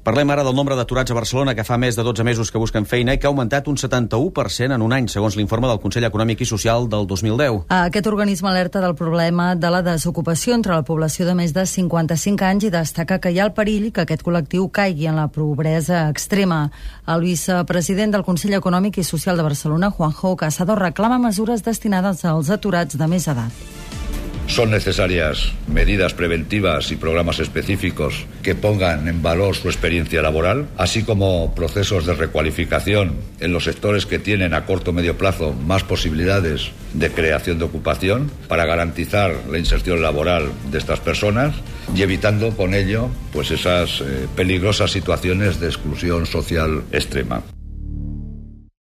Parlem ara del nombre d'aturats a Barcelona, que fa més de 12 mesos que busquen feina i que ha augmentat un 71% en un any, segons l'informe del Consell Econòmic i Social del 2010. Aquest organisme alerta del problema de la desocupació entre la població de més de 55 anys i destaca que hi ha el perill que aquest col·lectiu caigui en la pobresa extrema. El vicepresident del Consell Econòmic i Social de Barcelona, Juanjo Casado, reclama mesures destinades als aturats de més edat. Son necesarias medidas preventivas y programas específicos que pongan en valor su experiencia laboral, así como procesos de recualificación en los sectores que tienen a corto o medio plazo más posibilidades de creación de ocupación para garantizar la inserción laboral de estas personas y evitando con ello pues esas peligrosas situaciones de exclusión social extrema.